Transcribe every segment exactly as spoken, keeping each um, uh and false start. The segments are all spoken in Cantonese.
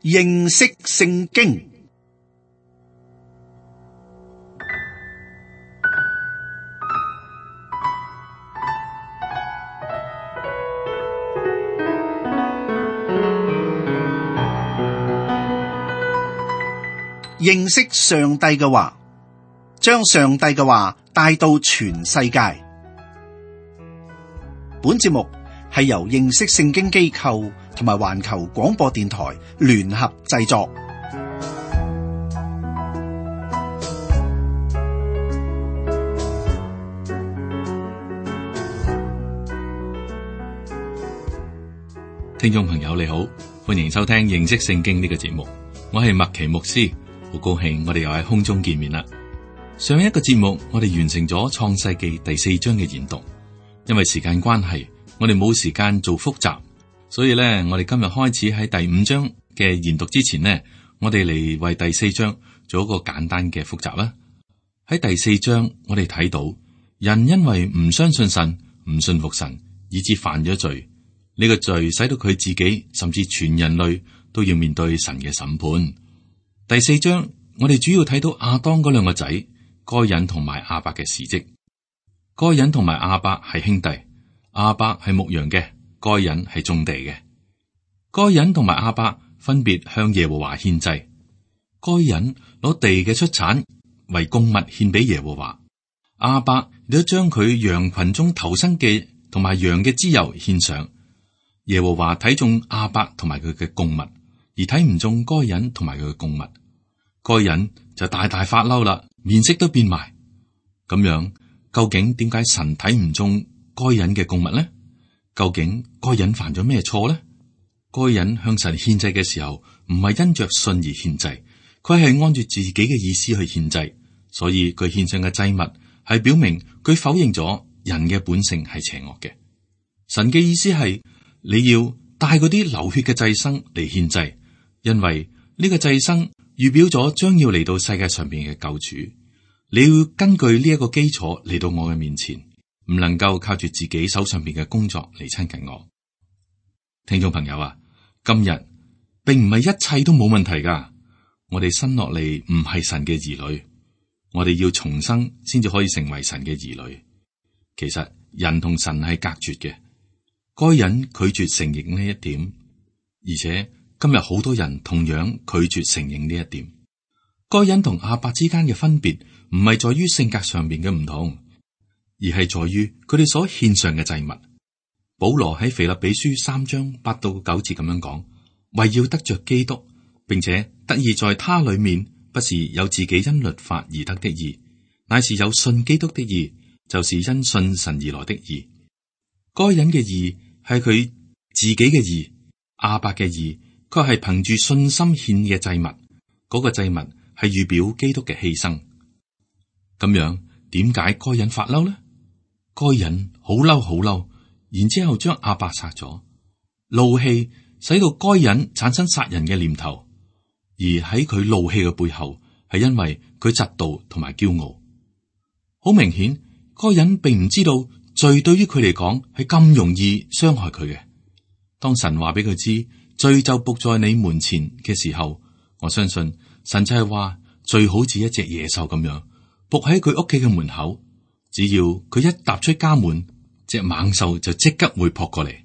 認識聖經。認識上帝嘅話，將上帝嘅話帶到全世界。本節目係由認識聖經機構同埋環球廣播電台聯合製作。聽眾朋友你好，歡迎收聽認識聖經呢個節目，我係麥奇牧師，好高興我哋又喺空中見面啦。上一個節目我哋完成咗創世記第四章嘅研讀，因為時間關係，我哋冇時間做複習，所以咧，我哋今日開始喺第五章嘅研讀之前呢，我哋嚟為第四章做一個簡單嘅複習啦。喺第四章，我哋睇到人因為唔相信神、唔信服神，以致犯咗罪。呢個罪使到佢自己，甚至全人類都要面對神嘅審判。第四章，我哋主要睇到亞當嗰兩個仔該隱同埋亞伯嘅事蹟。該隱同埋亞伯係兄弟，亞伯係牧羊嘅，該隱係種地嘅。該隱同埋亞伯分別向耶和華獻祭。該隱攞地嘅出產為供物獻俾耶和華，亞伯亦都將佢羊群中頭生嘅同埋羊嘅脂油獻上。耶和華睇中亞伯同埋佢嘅供物，而睇唔中該隱同埋佢嘅供物。該隱就大大發嬲啦，面色都變埋。咁樣究竟點解神睇唔中該隱嘅供物呢？究竟該隱犯咗咩錯呢？該隱向神獻祭嘅時候，唔係因着信而獻祭，佢係按住自己嘅意思去獻祭，所以佢獻上嘅祭物係表明佢否認咗人嘅本性係邪惡嘅。神嘅意思係你要帶嗰啲流血嘅祭牲嚟獻祭，因為呢個祭牲預表咗將要嚟到世界上邊嘅救主。你要根據呢一個基礎嚟到我嘅面前，唔能夠靠住自己手上邊嘅工作嚟親近我。聽眾朋友啊，今日並唔係一切都冇問題噶。我哋生落嚟唔係神嘅兒女，我哋要重生先至可以成為神嘅兒女。其實人同神係隔絕嘅。該隱拒絕承認呢一點，而且今日好多人同樣拒絕承認呢一點。該隱同亞伯之間嘅分別唔係在於性格上面嘅唔同，而係在於佢哋所獻上嘅祭物。保羅喺腓立比書三章八到九節咁樣講，為要得着基督，並且得以在他裏面，不是有自己因律法而得的義，乃是有信基督的義，就是因信神而來的義。該隱嘅義係佢自己嘅義，亞伯嘅義卻係憑住信心獻嘅祭物。嗰、那個祭物係預表基督嘅犧牲。咁樣點解該隱發嬲呢？該隱好嬲好嬲，然之後將亞伯殺咗，怒氣使到該隱產生殺人嘅念頭。而喺佢怒氣嘅背後，係因為佢嫉妒同埋驕傲。好明顯，該隱並唔知道罪對於佢嚟講係咁容易傷害佢嘅。當神話俾佢知罪就伏在你門前嘅時候，我相信神就係話罪好似一隻野獸咁樣伏喺佢屋企嘅門口，只要佢一踏出家門，隻猛獸就即刻會撲過嚟。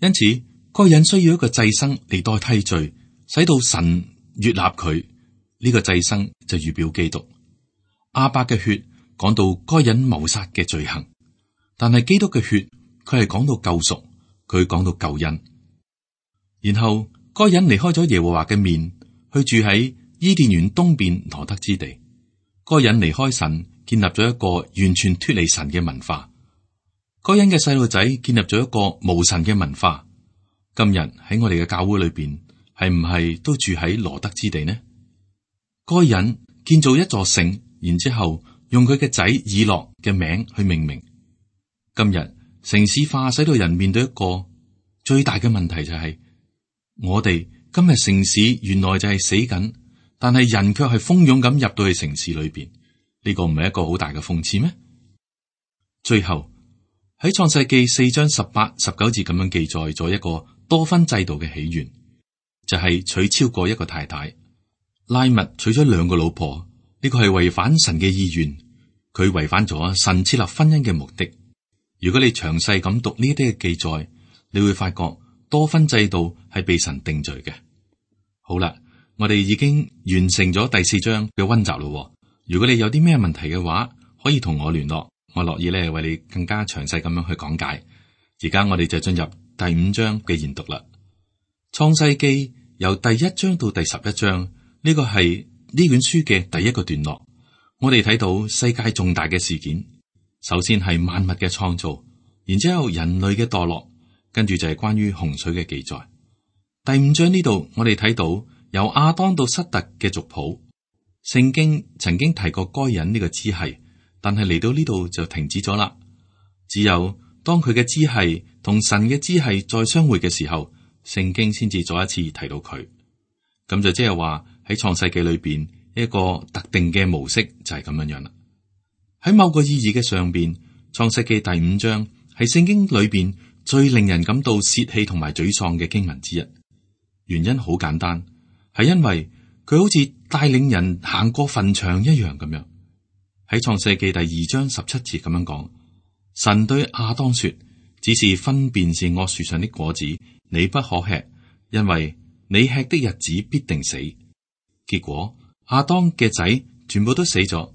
因此，該隱需要一個祭牲嚟代替罪，使到神悅納佢。呢、這個祭牲就預表基督。亞伯嘅血講到該隱謀殺嘅罪行。但係基督嘅血，佢係講到救贖，佢講到救恩。然後該隱離開咗耶和華嘅面，去住喺伊甸園東邊羅得之地。該隱離開神，建立咗一個完全脫離神嘅文化。該隱嘅細路仔建立咗一個無神嘅文化。今日喺我哋嘅教會裏邊，係唔係都住喺羅得之地呢？該隱建造一座城，然之後用佢嘅仔以諾嘅名去命名。今日城市化使到人面對一個最大嘅問題，就係我哋今日城市原來就係死緊，但係人卻係蜂擁咁入到去城市裏邊。呢個唔係一個好大嘅諷刺咩？最後喺創世記四章十八、十九節咁樣記載咗一個多婚制度嘅起源。就係娶超過一個太太。拉麥娶咗兩個老婆，呢個係違反神嘅意願，佢違反咗神設立婚姻嘅目的。如果你詳細咁讀呢啲嘅記載，你會發覺多婚制度係被神定罪嘅。好啦，我哋已經完成咗第四章嘅溫習咯。如果你有啲咩問題嘅話，可以同我聯絡，我樂意咧為你更加詳細咁樣去講解。而家我哋就進入第五章嘅研讀啦。創世記由第一章到第十一章，呢個係呢卷書嘅第一個段落。我哋睇到世界重大嘅事件，首先係萬物嘅創造，然之後人類嘅墮落，跟住就係關於洪水嘅記載。第五章呢度我哋睇到由亞當到塞特嘅族譜。聖經曾經提過該隱呢個支系，但係嚟到呢度就停止咗啦。只有當佢嘅支系同神嘅支系再相會嘅時候，聖經先至再一次提到佢。咁就即係話喺創世記裏邊一個特定嘅模式就係咁樣樣啦。喺某個意義嘅上邊，創世記第五章係聖經裏邊最令人感到泄氣同埋沮喪嘅經文之一。原因好簡單，係因為佢好似帶領人行過墳場一樣咁樣。喺創世記第二章十七節咁樣講，神對亞當說：只是分辨善惡樹上的果子，你不可吃，因為你吃的日子必定死。結果亞當嘅仔全部都死咗。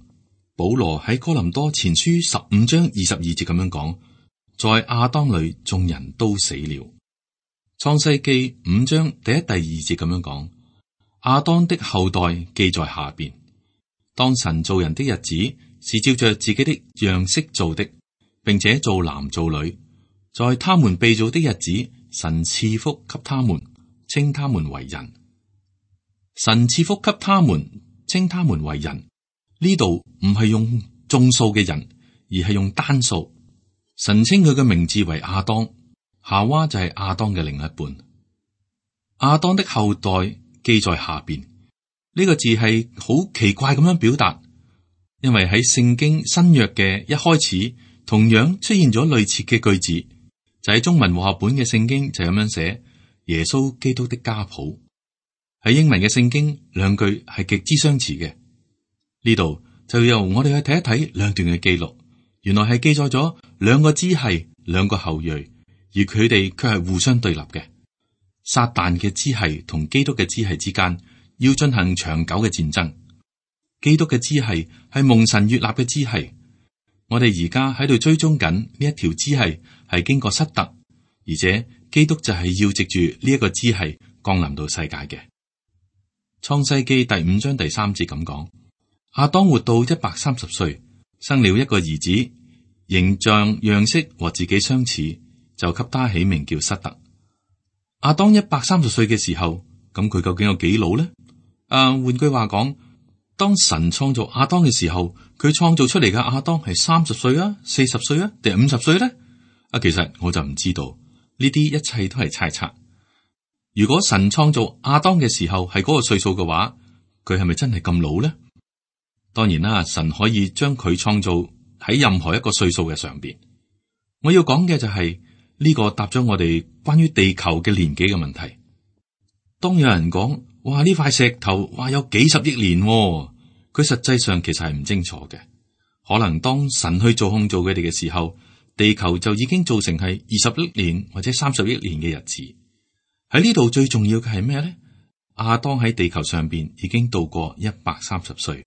保羅喺哥林多前書十五章二十二節咁樣講，在亞當裏眾人都死了。創世記五章第一、第二節咁樣講，亞當的後代記在下邊。當神造人的日子，是照着自己的樣式造的，並且造男造女。在他們被造的日子，神賜福給他們，稱他們為人。神賜福給他們，稱他們為人。呢度唔係用眾數嘅人，而係用單數。神稱佢嘅名字為亞當，夏娃就係亞當嘅另一半。亞當的後代記在下邊，呢個字係好奇怪咁樣表達，因為喺聖經新約嘅一開始，同樣出現咗類似嘅句子，就喺中文和合本嘅聖經就咁樣寫：耶穌基督的家譜。喺英文嘅聖經兩句係極之相似嘅。呢度就由我哋去睇一睇兩段嘅記錄，原來係記載咗兩個支系、兩個後裔，而佢哋卻係互相對立嘅。撒旦嘅支系同基督嘅支系之間要進行長久嘅戰爭。基督嘅支系係蒙神悅納嘅支系，我哋而家喺度追蹤緊呢一條支系係經過塞特，而且基督就係要藉住呢一個支系降臨到世界嘅。創世記第五章第三節咁講。亞當活到一百三十歲，生了一個兒子，形象樣式和自己相似，就給他起名叫塞特。亞當一百三十歲嘅時候，咁佢究竟有幾老呢？啊，換句話講，當神創造亞當嘅時候，佢創造出嚟嘅亞當係三十歲啊、四十歲啊，定係五十歲呢？啊，其實我就唔知道，呢啲一切都係猜測。如果神創造亞當嘅時候係嗰個歲數嘅話，佢係咪真係咁老呢？當然啦，神可以將佢創造喺任何一個歲數嘅上邊。我要講嘅就係、是、呢、這個答咗我哋關於地球嘅年紀嘅問題。當有人講，哇，呢塊石頭哇有幾十億年、哦，佢實際上其實係唔清楚嘅。可能當神去做控造佢哋嘅時候，地球就已經造成係二十億年或者三十億年嘅日子。喺呢度最重要嘅係咩咧？亞當喺地球上邊已經度過一百三十歲。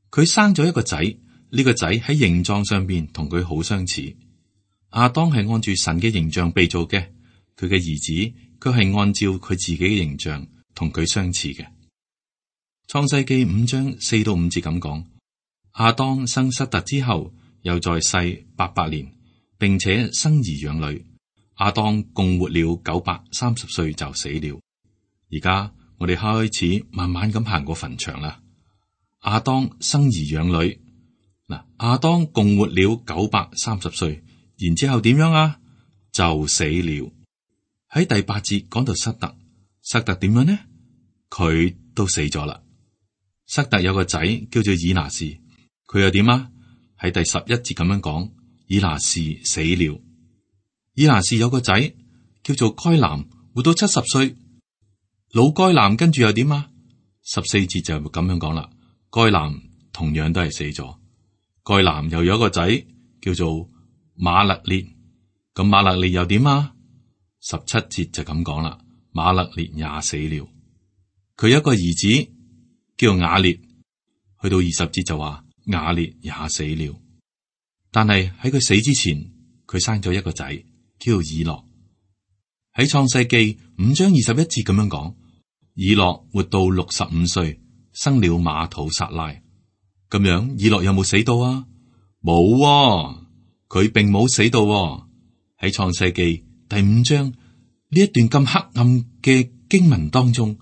佢生咗一個仔，呢、這個仔喺形狀上邊同佢好相似。亞當係按住神嘅形象被造嘅，佢嘅兒子佢係按照佢自己嘅形象同佢相似嘅。創世記五章四到五節咁講：亞當生塞特之後，又在世八百年，並且生兒養女。亞當共活了九百三十歲就死了。而家我哋開始慢慢咁行過墳場啦。亞當生兒養女，嗱，亞當共活了九百三十歲，然之後點樣啊？就死了。喺第八節講到塞特，塞特點樣呢？佢都死咗啦。塞特有個仔叫做以拿士，佢又點啊？喺第十一節咁樣講，以拿士死了。以拿士有個仔叫做該南，活到七十歲。老該男跟住又點啊？十四節就咁樣講啦。該男同樣都係死咗。該男又有一個仔叫做馬勒列，咁馬勒列又點啊？十七節就咁講啦。馬勒列也死了。佢有一個兒子叫雅列，去到二十節就話雅列也死了。但係喺佢死之前，佢生咗一個仔叫以諾。喺創世記五章二十一節咁樣講，以諾活到六十五歲，生了馬土撒拉。咁樣以諾有冇死到啊？冇喎，佢並冇死到喎。喺創世記第五章呢一段咁黑暗嘅經文當中，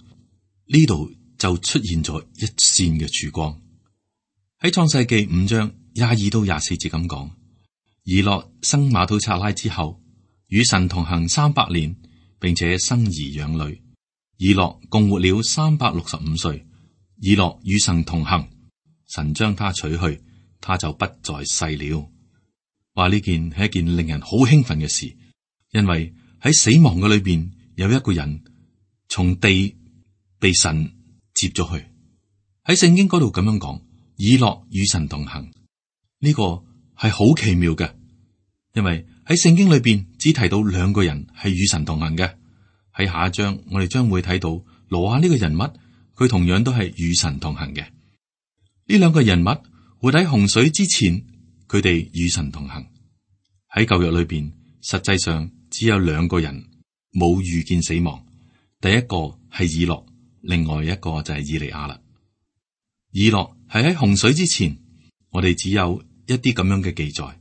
呢度就出現咗一線嘅曙光。喺創世記五章廿二到廿四節咁講，以諾生馬土撒拉之後，與神同行三百年，並且生兒養女。以諾共活了三百六十五歲。以諾與神同行，神將他取去，他就不在世了。話呢件係一件令人好興奮嘅事，因為喺死亡嘅裏邊有一個人從地被神接咗去。喺聖經嗰度咁樣講，以諾與神同行，呢個係好奇妙嘅，因為喺聖經裏邊只提到兩個人係與神同行嘅。喺下一章我哋將會睇到挪亞呢個人物，佢同樣都係與神同行嘅。呢兩個人物活喺洪水之前，佢哋與神同行。喺舊約裏邊，實際上只有兩個人冇遇見死亡，第一個係以諾，另外一個就係以利亞啦。以諾係喺洪水之前，我哋只有一啲咁樣嘅記載。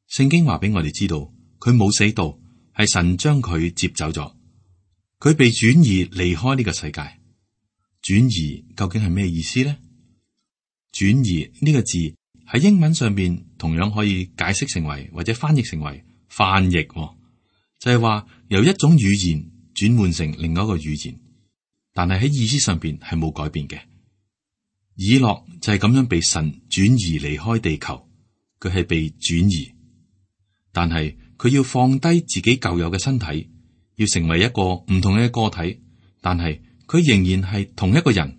聖經話俾我哋知道，佢冇死到，係神將佢接走咗，佢被轉移離開呢個世界。轉移究竟係咩意思呢？轉移呢個字喺英文上邊同樣可以解釋成為或者翻譯成為翻譯，就係話由一種語言轉換成另外一個語言，但係喺意思上邊係冇改變嘅。以諾就係咁樣被神轉移離開地球，佢係被轉移，但係佢要放低自己舊有嘅身體，要成為一個唔同嘅個體，但係佢仍然係同一個人，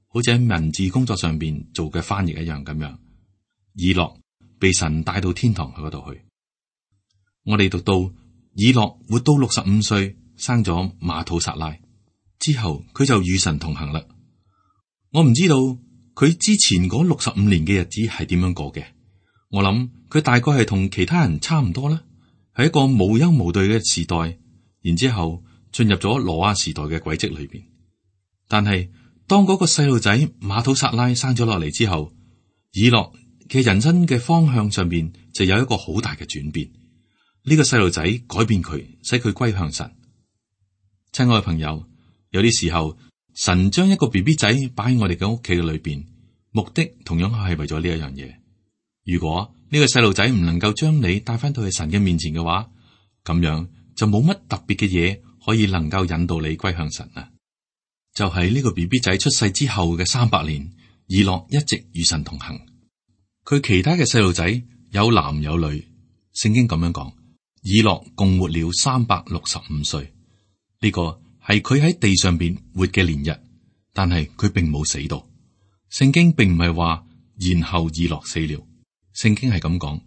好似喺文字工作上邊做嘅翻譯一樣咁樣。以諾被神帶到天堂嗰度去。我哋讀到以諾活到六十五歲，生咗馬土撒拉之後，佢就與神同行啦。我唔知道佢之前嗰六十五年嘅日子係點樣過嘅。我諗佢大概係同其他人差唔多啦，係一個無憂無慮嘅時代，然之後進入咗挪亞時代嘅軌跡裏邊。但係當嗰個細路仔馬土撒拉生咗落嚟之後，以諾嘅人生嘅方向上邊就有一個好大嘅轉變。呢個細路仔改變佢，使佢歸向神。親愛嘅朋友，有啲時候神將一個 B B 仔擺喺我哋嘅屋企嘅裏邊，目的同樣係為咗呢一樣嘢。如果呢個細路仔唔能夠將你帶翻到去神嘅面前嘅話，咁樣就冇乜特別嘅嘢可以能夠引導你歸向神啊。就喺呢個 B B 仔出世之後嘅三百年，以諾一直與神同行。佢其他嘅細路仔有男有女，聖經咁樣講，以諾共活了三百六十五歲。呢個係佢喺地上邊活嘅年日，但係佢並冇死到。聖經並唔係話然後以諾死了，聖經係咁講，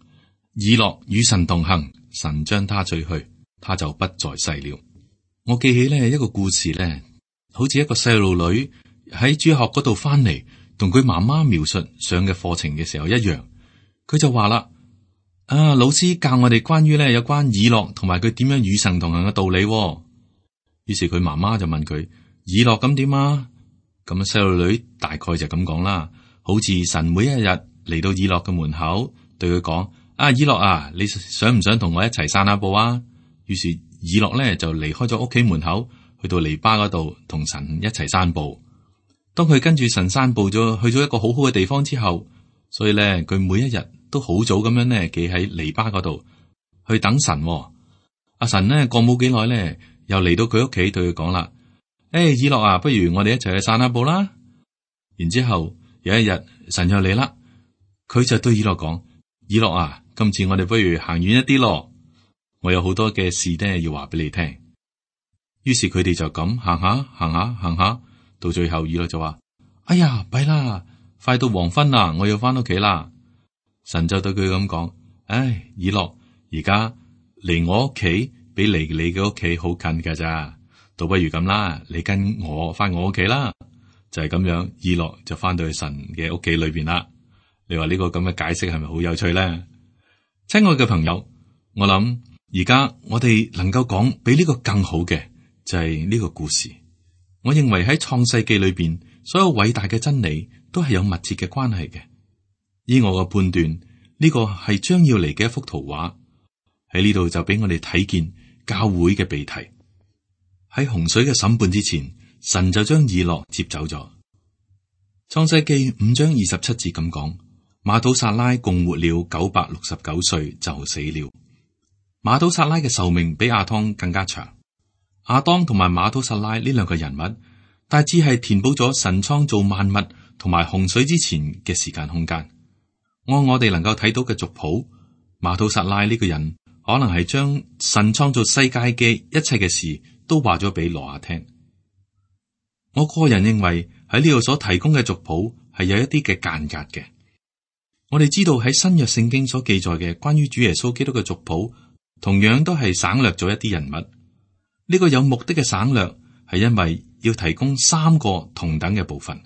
以諾與神同行，神將他取去，他就不在世了。我記起呢一個故事咧，好似一個細路女喺主學嗰度翻嚟，同佢媽媽描述上嘅課程嘅時候一樣，佢就話啦：啊，老師教我哋關於咧有關以諾同埋佢點樣與神同行嘅道理。於是佢媽媽就問佢：以諾咁點啊？咁啊，細路女大概就咁講啦，好似神每一日嚟到以諾嘅門口，對佢講：啊，以諾啊，你想唔想同我一齊散下步啊？於是以諾咧就離開咗屋企門口，去到籬笆嗰度同神一齊散步。當佢跟住神散步咗，去咗一個好好嘅地方之後，所以咧佢每一日都好早咁樣咧企喺籬笆嗰度去等神。阿神咧過冇幾耐咧，又嚟到佢屋企對佢講啦：誒、hey，以諾啊，不如我哋一齊去散下步啦。然之後有一日神又嚟啦，佢就對以諾講：以諾啊，今次我哋不如行遠一啲咯，我有好多嘅事咧要話俾你聽。於是佢哋就咁行下行下行下，到最後以諾就話：哎呀，弊啦，快到黃昏啦，我要翻屋企啦。神就對佢咁講：唉，以諾，而家離我屋企比離你嘅屋企好近噶咋，倒不如咁啦，你跟我翻我屋企啦。就係咁樣，以諾就翻到去神嘅屋企裏邊啦。你話呢個咁嘅解釋係咪好有趣咧？親愛嘅朋友，我諗而家我哋能夠講比呢個更好嘅就係呢個故事。我認為喺創世記裏邊，所有偉大嘅真理都係有密切嘅關係嘅。依我嘅判斷，呢個係將要嚟嘅一幅圖畫。喺呢度就俾我哋睇見教會嘅被提。喺洪水嘅審判之前，神就將以諾接走咗。創世記五章二十七節咁講：馬土撒拉共活了九百六十九歲就死了。馬土撒拉嘅壽命比亞當更加長。亞當同埋馬土撒拉呢兩個人物，大致係填補咗神創造萬物同埋洪水之前嘅時間空間。按我哋能夠睇到嘅族譜，馬土撒拉呢個人可能係將神創造世界嘅一切嘅事都話咗俾挪亞聽。我個人認為喺呢度所提供嘅族譜係有一啲嘅間隔嘅。我哋知道喺新約聖經所記載嘅關於主耶穌基督嘅族譜，同樣都係省略咗一啲人物。呢個有目的嘅省略係因為要提供三個同等嘅部分。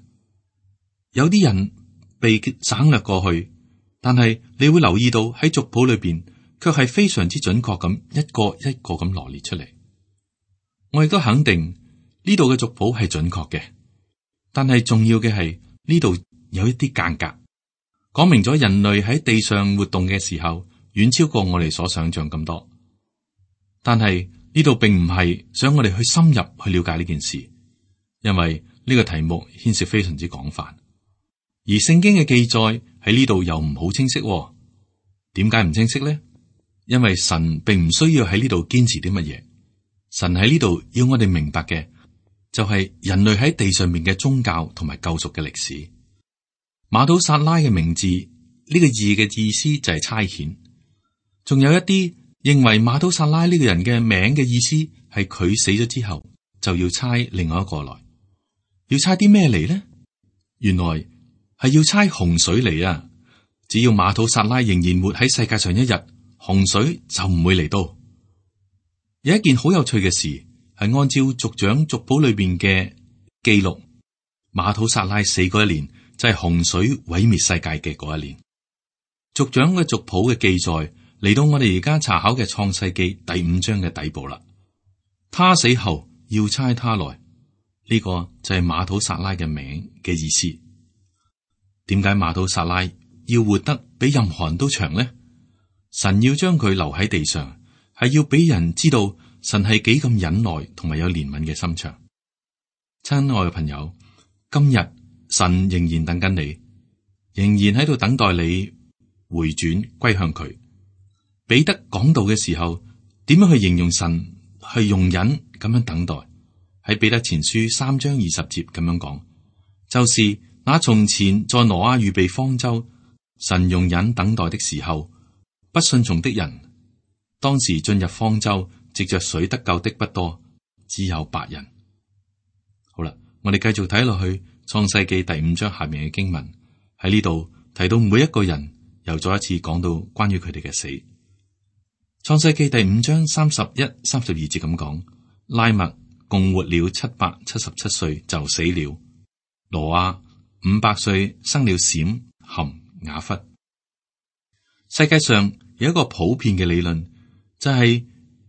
有啲人被省略過去，但係你會留意到喺族譜裏邊，卻係非常之準確咁一個一個咁羅列出嚟。我亦都肯定呢度嘅族譜係準確嘅，但係重要嘅係呢度有一啲間隔，講明咗人類喺地上活動嘅時候遠超過我哋所想象咁多。但係呢度並唔係想我哋去深入去了解呢件事，因為呢個題目牽涉非常之廣泛，而聖經嘅記載喺呢度又唔好清晰。點解唔清晰呢？因為神並唔需要喺呢度堅持啲乜嘢，神喺呢度要我哋明白嘅就係人類喺地上面嘅宗教同埋救贖嘅歷史。馬土撒拉嘅名字呢個字嘅意思就係差遣，仲有一啲認為馬土撒拉呢個人嘅名嘅意思係佢死咗之後就要差另外一個來，要差啲咩嚟呢？原來係要差洪水嚟啊！只要馬土撒拉仍然活喺世界上一日，洪水就唔會嚟到。有一件好有趣嘅事係按照族長族譜裏邊嘅記錄，馬土撒拉死嗰一年就係洪水毀滅世界嘅嗰一年。族長嘅族譜嘅記載嚟到我哋而家查考嘅創世記第五章嘅底部啦。他死後要差他來，呢個就係馬土撒拉嘅名嘅意思。點解馬土撒拉要活得比任何人都長呢？神要將佢留喺地上，係要俾人知道神係幾咁忍耐同埋有憐憫嘅心腸。親愛嘅朋友，今日神仍然等緊你，仍然喺度等待你回轉歸向佢。彼得講道嘅時候，點樣去形容神係容忍咁樣等待？喺彼得前書三章二十節咁樣講，就是那從前在挪亞預備方舟，神容忍等待的時候，不順從的人，當時進入方舟藉着水得救的不多，只有八人。好啦，我哋繼續睇落去創世記第五章下面嘅經文，喺呢度提到每一個人，又再一次講到關於佢哋嘅死。創世記第五章三十一、三十二節咁講，拉麥共活了七百七十七歲就死了。挪亞五百歲生了閃、含、雅弗。世界上有一個普遍嘅理論，就係、是、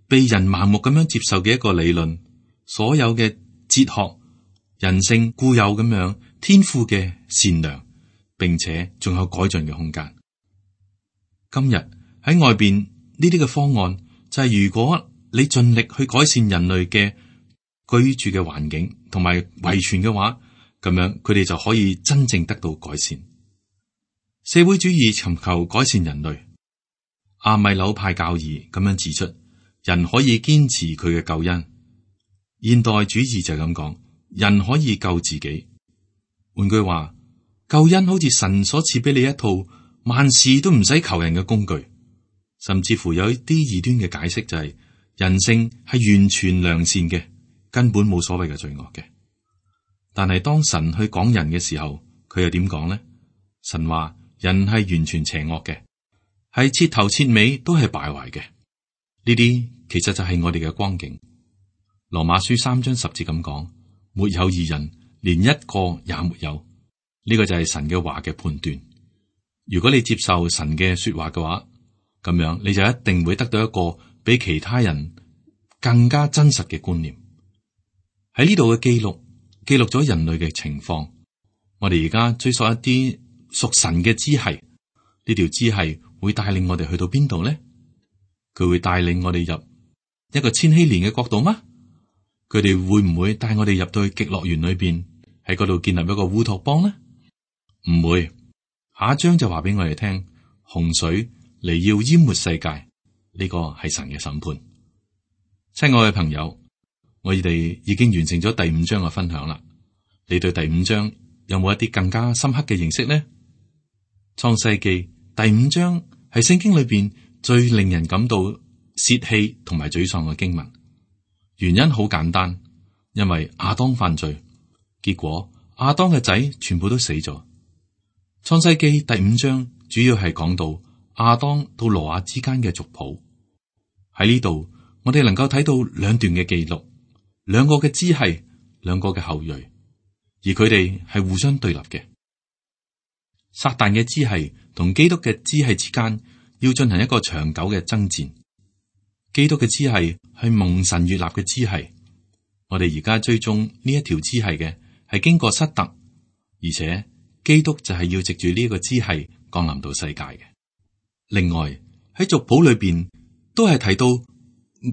被人盲目咁樣接受嘅一個理論，所有嘅哲學、人性固有咁樣天賦嘅善良，並且仲有改進嘅空間。今日喺外邊呢啲嘅方案，就係、是、如果你盡力去改善人類嘅居住嘅環境同埋遺傳嘅話，咁樣佢哋就可以真正得到改善。社會主義尋求改善人類，阿米紐派教義咁樣指出，人可以堅持佢嘅救恩。現代主義就係咁講，人可以救自己。換句話，救恩好似神所賜俾你一套萬事都唔使求人嘅工具。甚至乎有一啲異端嘅解釋就係、是、人性係完全良善嘅，根本冇所謂嘅罪惡嘅。但係當神去講人嘅時候，佢又點講呢？神話人係完全邪惡嘅，係徹頭徹尾都係敗壞嘅。呢啲其實就係我哋嘅光景。羅馬書三章十節咁講，沒有義人，連一個也沒有。呢個就係神嘅話嘅判斷。如果你接受神嘅說話嘅話，咁樣你就一定會得到一個比其他人更加真實嘅觀念。喺呢度嘅記錄，記錄咗人類嘅情況。我哋而家追溯一啲屬神嘅支系，呢條支系會帶領我哋去到邊度呢？佢會帶領我哋入一個千禧年嘅國度嗎？佢哋會唔會帶我哋入到去極樂園裏邊，喺嗰度建立一個烏托邦呢？唔會。下一章就話俾我哋聽，洪水嚟要淹沒世界，呢個係神嘅審判。親愛嘅朋友，我哋已經完成咗第五章嘅分享啦。你對第五章有冇一啲更加深刻嘅認識呢？創世記第五章係聖經裏邊最令人感到泄氣同埋沮喪嘅經文。原因好簡單，因為亞當犯罪，結果亞當嘅仔全部都死咗。創世記第五章主要係講到亞當到挪亞之間嘅族譜。喺呢度，我哋能夠睇到兩段嘅記錄，兩個嘅支系，兩個嘅後裔，而佢哋係互相對立嘅。撒旦嘅支系同基督嘅支系之間要進行一個長久嘅爭戰。基督嘅支系係蒙神悅納嘅支系，我哋而家追蹤呢一條支系嘅係經過失特，而且基督就係要藉住呢一個支系降臨到世界嘅。另外喺族譜裏邊都係提到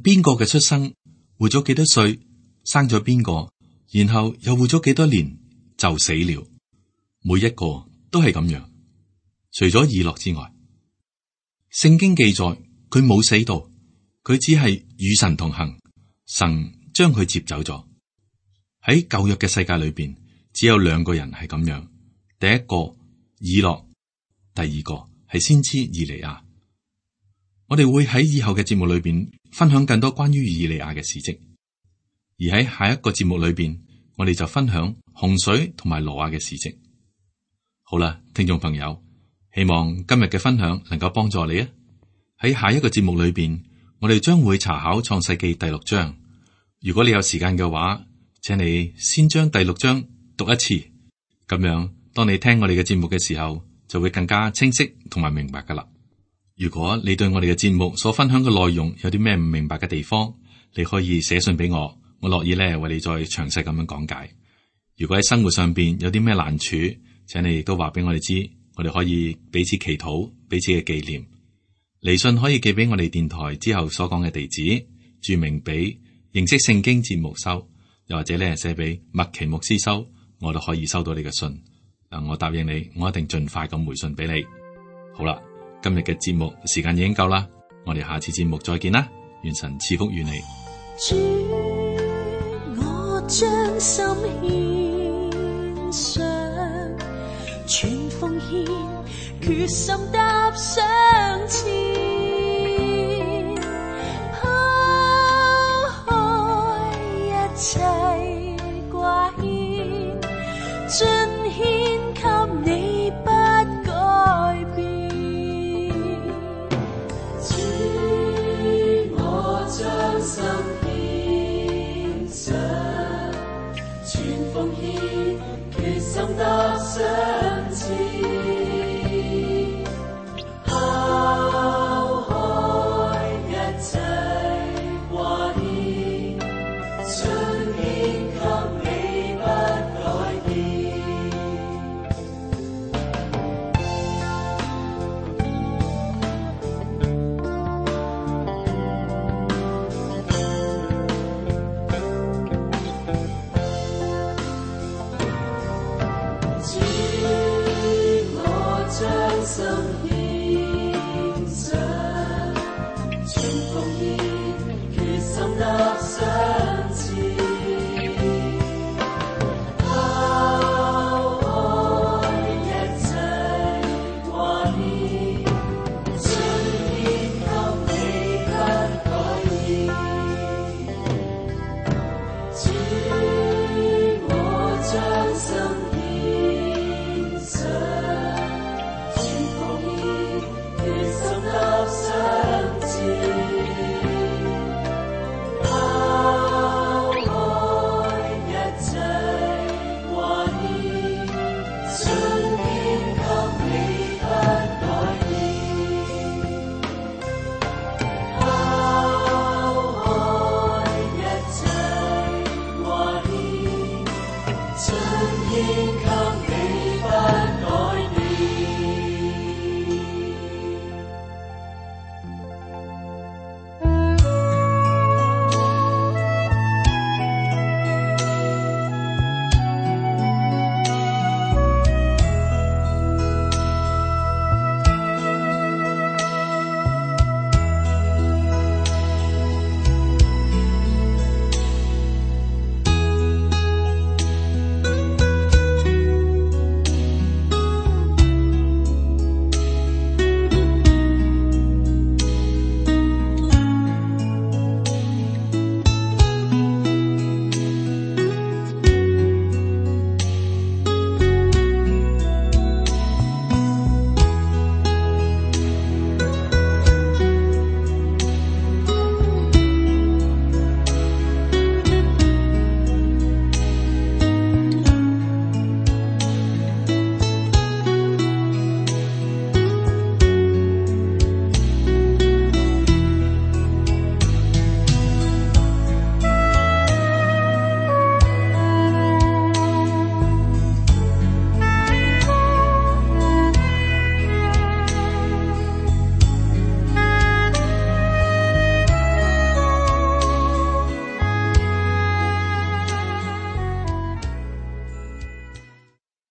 邊個嘅出生，活咗幾多歲，生咗邊個，然後又活咗幾多年就死了，每一個都係咁樣。除咗以諾之外，聖經記載佢冇死到，佢只係與神同行，神將佢接走咗。喺舊約嘅世界裏邊，只有兩個人係咁樣，第一個以諾，第二個係先知以利亞。我哋會喺以後嘅節目裏邊分享更多關於以利亞嘅事蹟，而喺下一個節目裏邊，我哋就分享洪水同埋挪亞嘅事蹟。好啦，聽眾朋友，希望今日嘅分享能夠幫助你啊！喺下一個節目裏邊，我哋將會查考創世記第六章。如果你有時間嘅話，請你先將第六章讀一次，咁樣當你聽我哋嘅節目嘅時候，就會更加清晰同埋明白噶啦。如果你對我哋嘅節目所分享嘅內容有啲咩唔明白嘅地方，你可以寫信俾我，我樂意咧為你再詳細咁樣講解。如果喺生活上邊有啲咩難處，請你亦都話俾我哋知，我哋可以彼此祈禱，彼此嘅紀念。嚟信可以寄俾我哋電台之後所講嘅地址，注明俾認識聖經節目收，又或者咧寫俾麥奇牧師收，我都可以收到你嘅信。嗱，我答應你，我一定盡快咁回信俾你。好啦，今日嘅節目時間已經夠啦，我哋下次節目再見啦，願神賜福與你。主，我將心獻上，全奉獻，決心踏上前，拋開一切掛牽，盡獻給你不改變。主，我將心獻上，全奉獻，決心踏上前，拋開一切掛牽，盡獻給你不改變。主，我將心獻上，全奉獻，決心踏上前，拋開一切掛牽，盡獻給你不改變。主，天